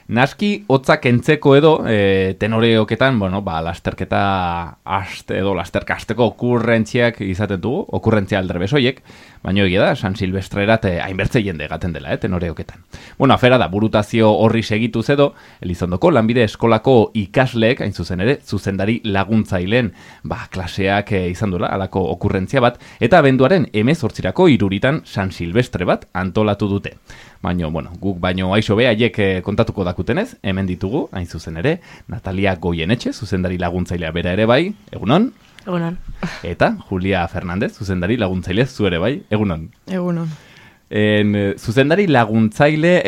Naski, hotzak entzeko edo, tenoreoketan, lasterketa lasterka hasteko okurrentziak izaten dugu, okurrentzia aldrebesoiek, baina egia da, San Silvestrerat hainbertze jende egaten dela, tenoreoketan. Afera da, burutazio horri segituz edo, Elizondoko lanbide eskolako ikasleek, hain zuzen ere, zuzendari laguntzaileen, klaseak izan duela, alako okurrentzia bat, eta abenduaren 18 iruritan San Silvestre bat antolatu dute. Baina, guk baino aixo haiek kontatuko dakutenez, hemen ditugu, hain zuzen ere, Natalia Goienetxe, zuzendari laguntzailea bera ere bai, egunon? Egunon. Eta Julia Fernandez, zuzendari laguntzaile zu ere bai, egunon? Egunon. Zuzendari laguntzaile,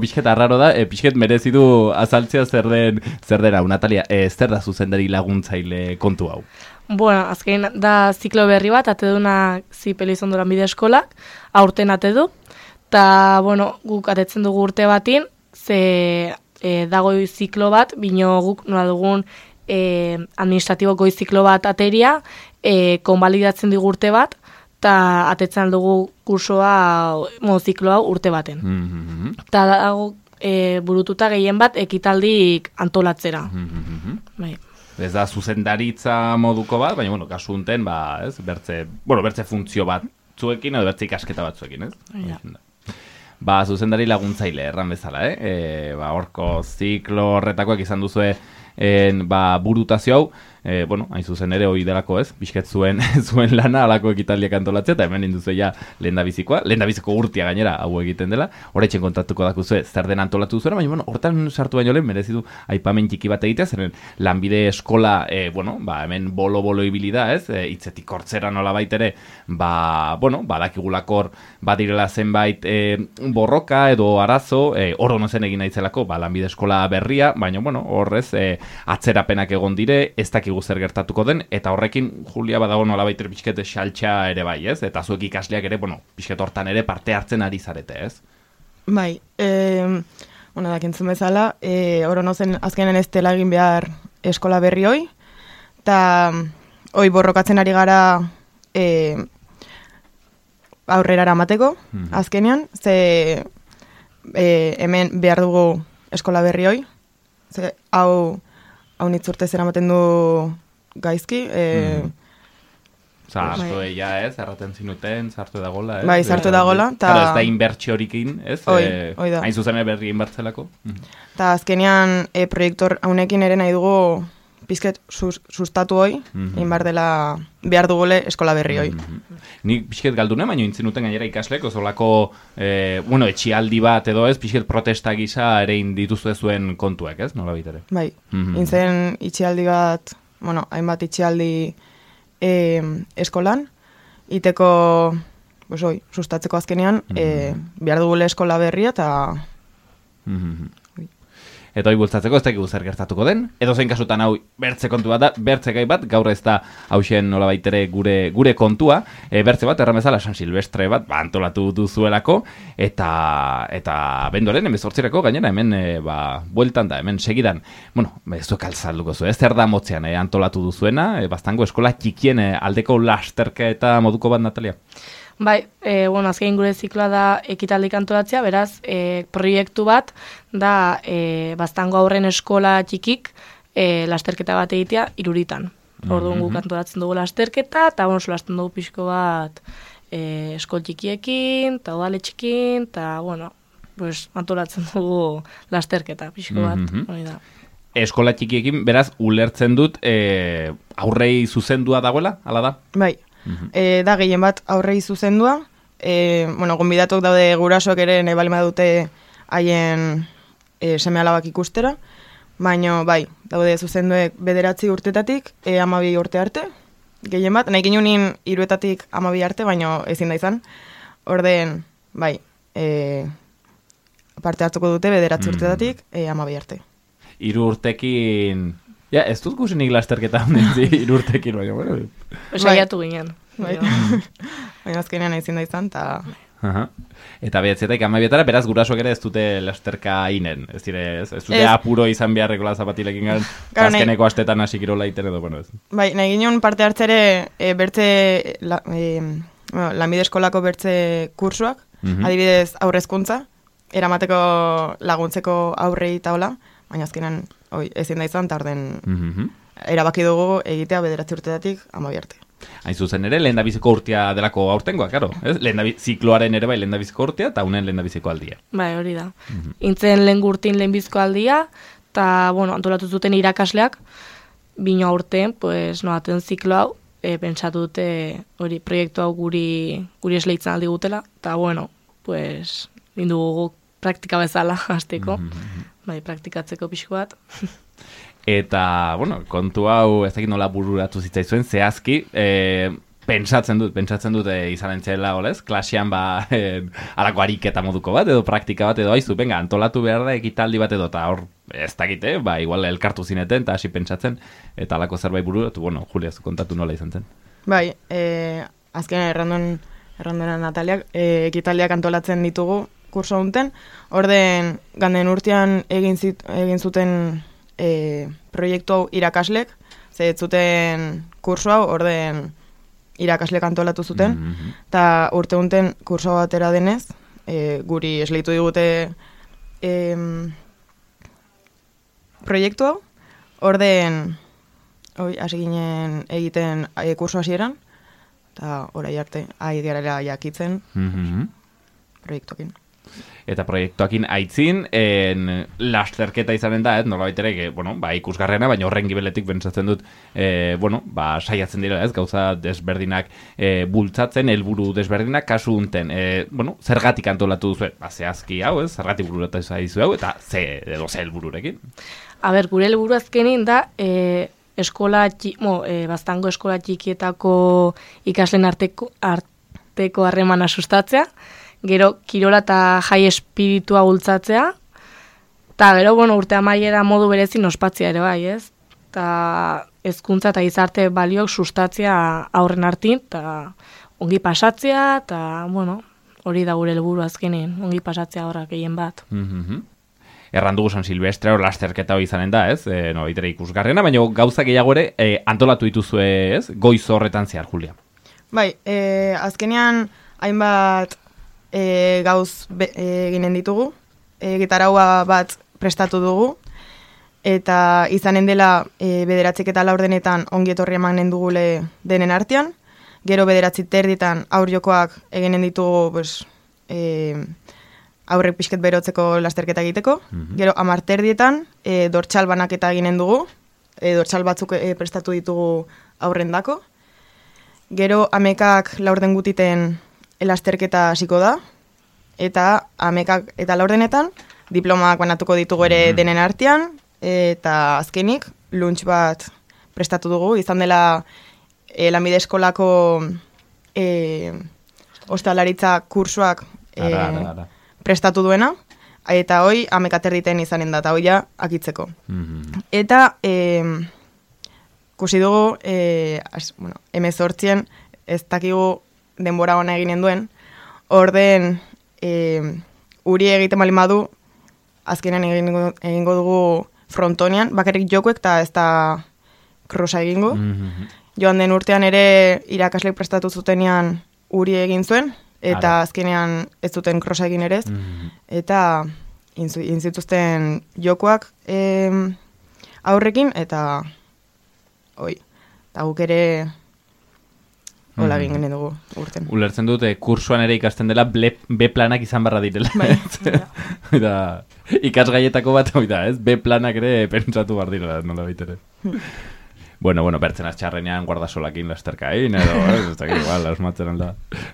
pixket arraro da, pixket merezi du azaltzea zer den hau, Natalia, zer da zuzendari laguntzaile kontu hau? Azken da ziklo berri bat, ateduna Elizondo lanbide eskolak, aurten atedu, eta, guk atetzen dugu urte batin, ze dago ziklo bat, bino guk nola dugun administratibo goi ziklo bat ateria, konbalidatzen dugu urte bat, eta atetzen dugu kursoa, zikloa urte baten. Eta dago burututa gehien bat ekitaldik antolatzera. Bai. Ez da zuzendaritza moduko bat, baina, kasu unten, bertze funtzio bat zuekin, edo bertze ikasketa bat zuekin, ez? Ja. Zuzendari laguntzaile, erran bezala, horko ziklo horretakoak izan duzue burutazio hau, hain zuzen ere hori delako ez, bizket zuen lana alako ekitaldiak antolatzea, eta hemen induzu ja lehendabiziko urtia gainera hau egiten dela, horretxen kontatuko dakuzue zer den antolatu zuera, baina hortan sartu baino lehen merezidu aipamen txiki bat egitea, zeren lanbide eskola, hemen bolo ibili da ez, hitzetik hortzera nola baitere, badakigulakor badirela zenbait borroka edo arazo, hor zen egin nahizelako, lanbide eskola berria, baina horrez atzerapenak egon dire, ez dakigu zer gertatuko den, eta horrekin Julia badago nola baitere pixkete xaltxa ere bai, ez? Eta zuek ikasleak ere, pixket hortan ere parte hartzen ari zarete, ez? Bai, dakintzen bezala, orono zen azkenen ez dela egin behar eskola berri hoi, eta hoi borrokatzen ari gara aurrera eramateko, azkenean, ze hemen behar dugu eskola berri hoi, ze hau nitzurte zera maten du gaizki. Zartu eia ez, erraten zinuten, zartu edagola, ez? Bai, zartu edagola. Ez da inbertsiorikin, ez? Hoi da. Hain zuzen berri inbertzelako. Eta azkenean proiektor haunekin ere nahi dugu pizket sustatu hoi, inbar dela behar dugule eskola berri hoi. Nik pixket galdune, baina intzinuten gainera ikaslek, ozolako, etxialdi bat edo ez, pixket protesta gisa ere indituzu zuen kontuek, ez? Nola bitere? Bai, intzen itxialdi bat, hainbat itxialdi eskolan, iteko, sustatzeko azkenean, behar dugule eskola berria eta... Eta hori bultzatzeko ez dakigu zer gertatuko den, edo zein kasutan hau bertze kontu bat da, bertze gai bat, gaur ez da hausen nola baitere gure kontua, bertze bat, erran bezala San Silvestre bat, antolatu duzuelako, eta benduaren, 18 gainera, hemen, bueltan da, hemen segidan, zuek altzalduko zu, zer da motzean antolatu duzuena, bastango eskola txikien aldeko lasterka eta moduko bat, Natalia? Bai, azkein gure zikloa da ekitaldik antolatzea, beraz, proiektu bat da Baztango aurren eskola txikik lasterketa bat egitea iruritan. Orduan guk antolatzen dugu lasterketa, eta solasten dugu pixko bat eskol txikiekin, eta udaletxekin, eta antolatzen dugu lasterketa pixko bat. Da. Eskola txikiekin, beraz, ulertzen dut aurrei zuzendua dagoela, ala da? Bai. Da gehien bat aurrei zuzendua, gonbidatok daude gurasoak ere nahi balima dute haien seme alabak ikustera, baina bai, daude zuzenduek 9 urtetatik 12 urte arte, gehien bat, nahi ginunin 3etatik 12 arte, baina ezin da izan, orden, bai, parte hartuko dute 9 urtetatik 12 arte. 3 urtekin... Ja, ez dut guzenik lasterketa honen irurtekin, baina, Saiatu ginen. Baina azkenean ezin da izan, eta... Eta behatzetak amabietara, beraz gurasoak ere ez dute lasterka inen. Ez dute apuro izan beharreko zapatilekin garen, azkeneko astetan hasi kirola iten edo, ez. Bai, nahi ginen parte hartzere bertze, lanbide eskolako bertze kursuak, adibidez aurrezkuntza, eramateko laguntzeko aurrei eta hola, baina azkenan ezin da izan, eta orden erabaki dugu egitea 9 urtetatik 12 arte. Hain zuzen ere, lehendabiziko urtea delako aurtengoa, karo. Zikloaren ere bai lehendabiziko urtea, eta unen lehendabiziko aldia. Bai, hori da. Intzen lehen gurtin lehenbiziko aldia, eta, bueno, antolatu zuten irakasleak, bino aurten, pues, noaten ziklo hau, pentsatu dute hori proiektu hau guri esleitzen aldi gutela, eta, bueno, pues, lindugu praktika bezala hasteko, bai, praktikatzeko pixko bat. Eta, bueno, kontu hau ez dakit nola bururatu zitzaizuen, zehazki, pentsatzen dut izanen txela, olez? Klasean, alako ariketa moduko bat, edo praktika bat, edo haizu, venga, antolatu behar da ekitaldi bat edo, eta hor, ez dakite, igual elkartu zineten, eta hasi pentsatzen, eta alako zerbait bururatu, bueno, Julia, zu kontatu nola izan zen. Bai, azken errandona Nataliak, ekitaldiak antolatzen ditugu kurso honten, orden ganden urtean egin zuten proiektu hau irakaslek, ze zuten kurso hau, orden irakaslek antolatu zuten, eta urte honten kurso batera denez, guri esleitu digute proiektu hau, orden hasi ginen egiten kurso hasieran, eta orai arte, garela jakitzen proiektuakin. Eta proiektuakin aitzin, lasterketa izanen da, nolabait ere, ikusgarrena, baina horren gibeletik pentsatzen dut, saiatzen dira, gauza desberdinak bultzatzen, helburu desberdinak, kasu unten, zergatik antolatu duzu, zehazki hau, zergatik bururatu zaizu hau, eta ze helbururekin? Gure helburu azkenin da, Baztango eskola txikietako ikasleen arteko harremana sustatzea, gero kirola eta jai espiritua bultzatzea, eta gero, urte amaiera modu berezin ospatzea ere bai, ez? Eta hezkuntza eta gizarte baliok sustatzea aurren artin, eta ongi pasatzea, eta, hori da gure helburu azkenean, ongi pasatzea horrak gehien bat. Errandugu San Silvestre hor lasterketa hori izanen da, ez? Nolaitere ikusgarrena, baina gauza gehiago ere antolatu dituzue, ez? Goiz horretan zehar, Julia. Bai, azkenean hainbat gauz ginen ditugu, gitaraua bat prestatu dugu, eta izanen dela 9 eta 10 ongi etorri emanen dugule denen artean, gero 9:30 aur jokoak eginen ditugu aurrek pixket berotzeko lasterketa egiteko, gero 10:30 dortxal banaketa eginen dugu, dortxal batzuk prestatu ditugu aurrendako, gero 11:00 laurden gutiten lasterketa hasiko da, eta 11:00 eta 10:00 diplomak banatuko ditugu ere denen artean, eta azkenik lunch bat prestatu dugu, izan dela lanbide eskolako ostalaritza kursuak prestatu duena, eta hoi 11:30 izanen da, eta hoi ja akitzeko. Eta kusi dugu, 18 ez dakigu denbora ona eginen duen, orden uri egiten bali madu, azkenean egingo dugu frontonian, bakarrik jokuek eta ez da krosa egingo. Joan den urtean ere irakaslek prestatu zutenean uri egin zuen, eta azkenean ez zuten krosa egin ere ez, eta inzituzten jokuak aurrekin, eta guk ere hola egin dugu urten. Ulertzen dut, kursuan ere ikasten dela B-planak izan barra direla. Eta ikasgaietako bat, B-planak ere pentsatu bar direla, nola baitere. Bueno, bertzen aztxarrenean guardasolakin lasterkain, edo, ez dakit, asmatzen alda,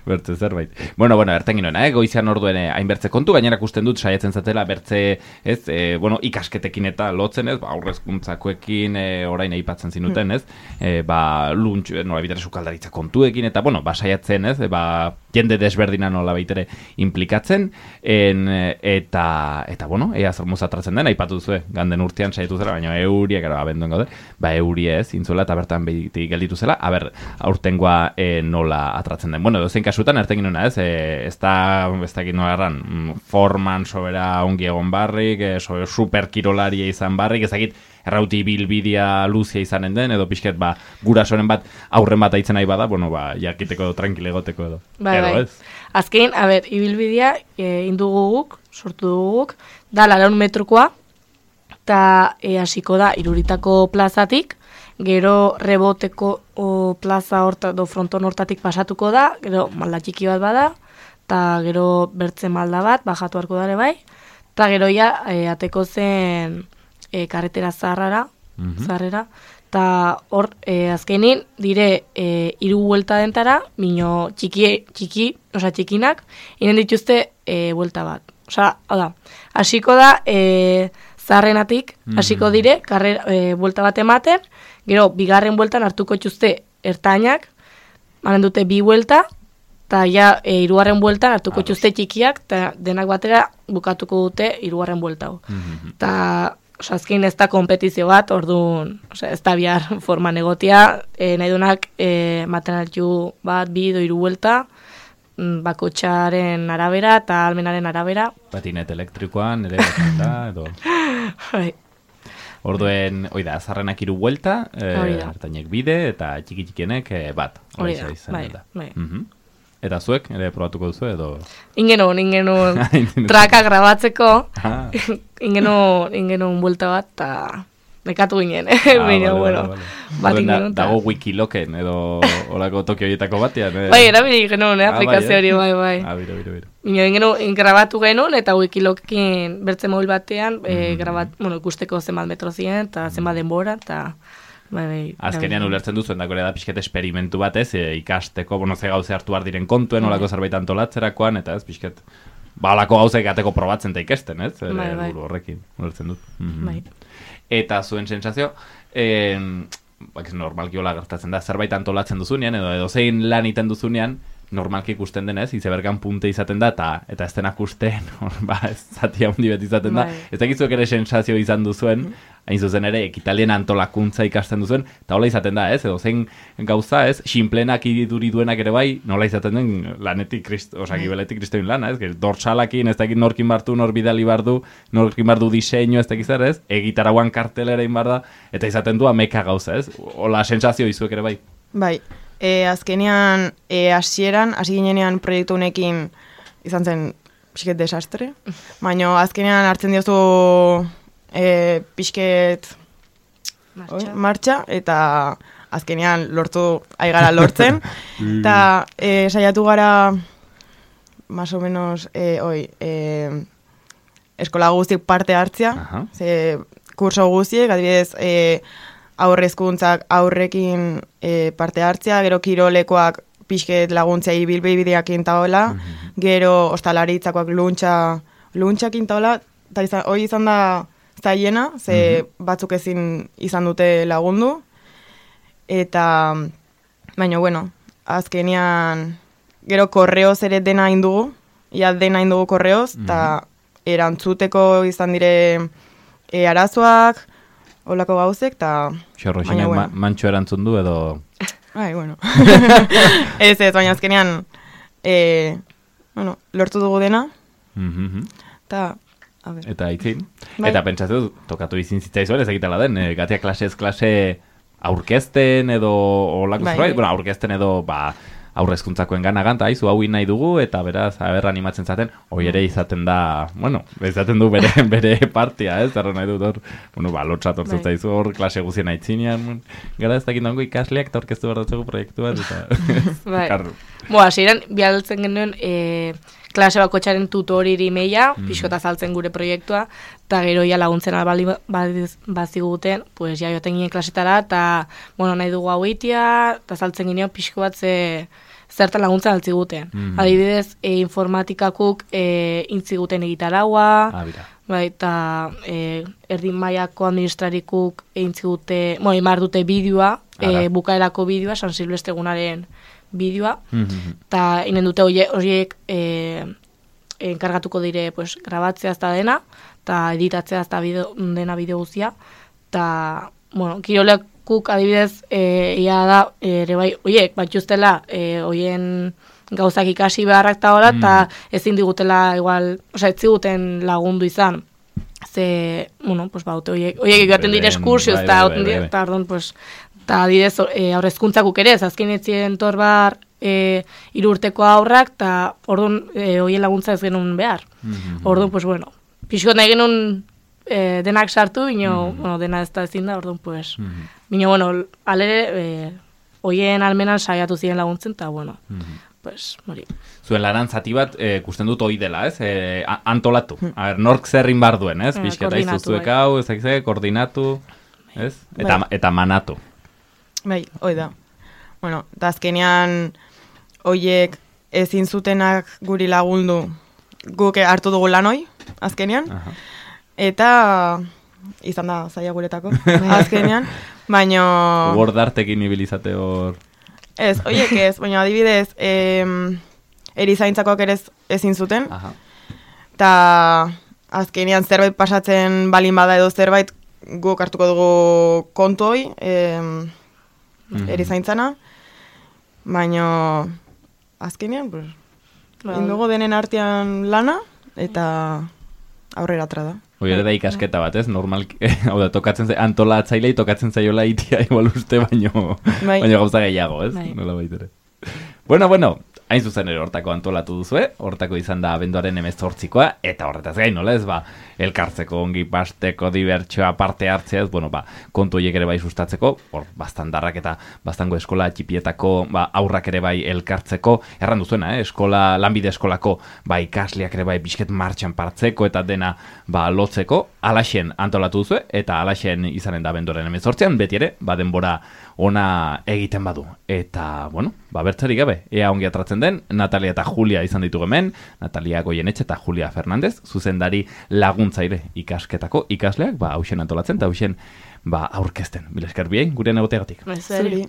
bertze zerbait. Bueno, erten ginoen, goizean orduen hainbertze kontu, gainera ikusten dut saiatzen zatela bertze, ikasketekin eta lotzen, ez, aurrezkuntzakoekin orain aipatzen zinuten, ez, luntx, nola bitere sukaldaritza kontuekin, eta, saiatzen, ez, jende desberdina nola baitere implikatzen, eta ea zer muzatratzen den, aipatu zuen, ganden urtean saiatu zera, baina euriak, abenduen gaude, eurie ez, zintzuela eta bertan beti gelditu zela, aurtengoa nola atratzen den. Bueno, dozein kasutan, erten ginuna, ez da nola forman sobera ongi egon barrik, superkirolaria izan barrik, ezakit errauti bilbidea luzia izanen den, edo pixket gurasoren bat aurren bat aitzen nahi bada, bueno, jakiteko edo, tranquile egoteko edo. Bai. Azken, ibilbidea indugu guk, sortu dugu guk, da 400 metrokoa, eta hasiko da Iruritako plazatik, gero Reboteko plaza do fronton hortatik pasatuko da, gero malda txiki bat bada, eta gero bertze malda bat, bajatu harko dare bai, eta gero ateko zen karretera zaharrera, eta hor azkenin dire 3 buelta dentara, mino txikinak, inen dituzte buelta bat. Osa, hasiko da zaharrenatik, hasiko dire, buelta bat ematen, gero, bigarren bueltan hartuko txuzte ertainak, manen dute 2 buelta, eta hirugarren bueltan hartuko txuzte txikiak, eta denak batera bukatuko dute 3. buelta. Eta, azkein ez da kompetizio bat, orduan, ez da bihar forman egotia, nahi dunak maten altu bat, 2 edo 3 buelta, bakotxaren arabera eta almenaren arabera. Patinet elektrikoan, ere da, edo... Orduen, oida, azarrenak 3 buelta, hartainek bide, eta txiki-txikienek bat. Hori da, bai. Eta zuek, ere probatuko duzu, edo... Ingenun traka grabatzeko, ingenun buelta bat, eta nekatu ginen, dago wikiloken, edo olako Tokio horietako batean. Bai, erabili genuen, aplikazio hori, bai. Ingenun grabatu genuen, eta wikiloken bertze mobil batean, ikusteko zenbat metro ziren, eta zenbat denbora, eta... Azkenean ulertzen duzuen dako ere da pixket esperimentu bat ikasteko, ze gauze hartu behar diren kontuen, olako zerbait antolatzerakoan, eta ez pixket, olako gauze gateko probatzen eta ikesten, ez? Buru horrekin, ulertzen dut. Eta zuen sensazio, normalki hola gertatzen da, zerbait antolatzen duzunean, edo zein lan iten duzunean, normalki ikusten denez, izebergan punte izaten da, eta ez denak usten, ez zati handi bet izaten da. Ez dakizuek ere sensazio izan duzuen, hain zuzen ere, ekitalien antolakuntza ikasten duzuen, eta hola izaten da, ez? Edo zein gauza, ez? Sinplenak iduri duenak ere bai, nola izaten den lanetik, gibeletik kristoin lana, ez? Dortsalakin, ez dakit norkin bartu, nor bidali bardu, norkin bardu diseño, ez dakit zer, ez? Egitaraguan kartelera inbar da, eta izaten du ameka gauza, ez? Hola sensazio izuek ere bai. Bai. Azkenean, hasi ginenean proiektu honekin izan zen pixket desastre, baina azkenean hartzen diozu pixket martxa, eta azkenean aigara lortzen, eta saiatu gara más o menos eskola guztiek parte hartzea, kurso guztiek, adibidez, aurrezkuntzak aurrekin parte hartzea, gero kirolekoak pixket laguntzea ibilbideakin taola, gero ostalaritzakoak luntxakin taola, eta hori izan da zaiena, ze batzuk ezin izan dute lagundu, eta baina, bueno, azkenean gero korreoz ere dena indugu, dena indugu korreoz, eta erantzuteko izan dire arazoak, holako gauzek, eta... Xorroxinek mantxo erantzun du, edo... Bueno. Ez, baina azkenean, lortu dugu dena, eta... Eta itzin. Eta pentsatu, tokatu izin zitzaizuen, ez egitela den, gatia klasez klase aurkezten, edo... aurkezten edo, aurrezkuntzakoen ganagan, eta hau nahi dugu, eta beraz, animatzen zaten, hoi ere izaten da, izaten du bere partia, ez, nahi dut hor, lotzat hor zaizu hor, klase guzien aitzinean, gara ez dakit dago ikasleak, eta orkestu behar dutzeko proiektu bat, eta... Hasieran, bialtzen genuen, klase bakotxaren tutoriri meia, pixkota zaltzen gure proiektua, eta gero laguntzen albali baziguten, pues joaten ginen klasetara, eta nahi dugu hau itia, eta zaltzen ginen pixko bat zertan laguntzen altziguten. Adibidez, informatikakuk intziguten egitaragua, eta erdin mailako administrarikuk intzigute, imar dute bideoa, bukaerako bideoa, San Silvestre egunaren bideoa, eta inen dute horiek enkargatuko dire grabatzea ez da dena, eta editatzea ez da dena bideo guztia, eta, guk adibidez, ia da, ere bai, oiek, batxuztela, oien gauzak ikasi beharrak eta hola, eta ezin digutela, igual, osea, ez ziguten lagundu izan. Ze, bueno, pues ba, oiek egaten dire eskursioz, eta ordon, pues, eta adibidez, aurrezkuntzakuk ere, azken etzien torbar, 3 urteko aurrak, eta orduan, oien laguntza ez genuen behar. Orduan, pues, bueno, pixkot nahi genuen denak sartu, bino, bueno, dena ez da ezin da, orduan, pues, bino, bueno, alere, oien almenan saiatu ziren laguntzen, eta, bueno, pues, mori. Zuen lanan zati bat, kusten dut hoi dela, ez? Antolatu. A ber, nork zerrin bar duen, ez? Bizketa izuzuek hau, ez koordinatu, ez? Eta manatu. Bai, hoi da. Bueno, eta azkenean hoiek ezin zutenak guri lagundu guk hartu dugu lan hoi, azkenean. Eta izan da zaila guretako, azkenean. Baina... Gordartekin ibilizate hor... Ez, hoiek ez, baina adibidez, erizaintzakoak ere ezin zuten. Eta azkenean zerbait pasatzen balin bada edo zerbait guk hartuko dugu kontu hoi, erizaintzana. Baina azkenean, pues, indugu denen artean lana, eta aurrera atra da. Hoi ere da ikasketa bat, ez? Normal, hau da, tokatzen antolatzailei tokatzen zaiola itia igual uste, baino gauza gehiago, ez? Nola baitere. Bueno, hain zuzen ere hortako antolatu duzue, hortako izan da abenduaren 18koa, eta horretaz gain, nola ez, ba, elkartzeko, ongi pasteko, dibertsioa, parte hartzea, ez, bueno, ba, kontu horiek ere bai sustatzeko, hor, bastandarrak eta bastango eskola txipietako, ba, aurrak ere bai elkartzeko, erran duzuena, lanbide eskolako, ba, ikasleak ere bai bisket martxan partzeko, eta dena, ba, lotzeko, alaxen antolatu duzue, eta alaxen izanen da abenduaren 18an, beti ere, ba, denbora ona egiten badu. Eta, bueno, ba, bertzerik gabe, ea ongi atratzen den, Natalia eta Julia izan ditugu hemen, Natalia Goienetxe eta Julia Fernandez, zuzendari laguntzaile ikasketako ikasleak, ba, hausen antolatzen, eta hausen, ba, aurkezten. Mila esker bien, gure negoteagatik. Zuri.